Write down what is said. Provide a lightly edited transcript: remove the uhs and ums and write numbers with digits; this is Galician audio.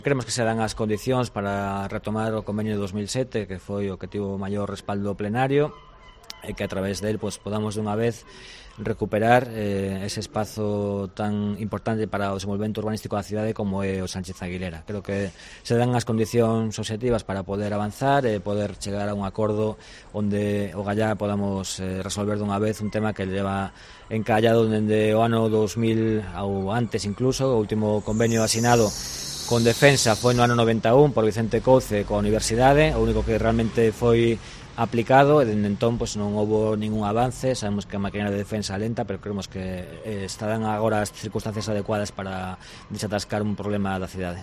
Creemos que se dan as condicións para retomar o convenio de 2007, que foi o que tivo o maior respaldo plenario, e que a través del podamos dunha vez recuperar ese espazo tan importante para o desenvolvemento urbanístico da cidade como é o Sánchez Aguilera. Creo que se dan as condicións obxectivas para poder avanzar e poder chegar a un acordo onde o gallá podamos resolver dunha vez un tema que leva encallado dende o ano 2000 ou antes incluso. O último convenio asinado con Defensa foi no ano 91 por Vicente Couce coa Universidade, o único que realmente foi aplicado, e dende entón non houve ningún avance. Sabemos que a maquinaria de defensa lenta, pero creemos que estarán agora as circunstancias adecuadas para desatascar un problema da cidade.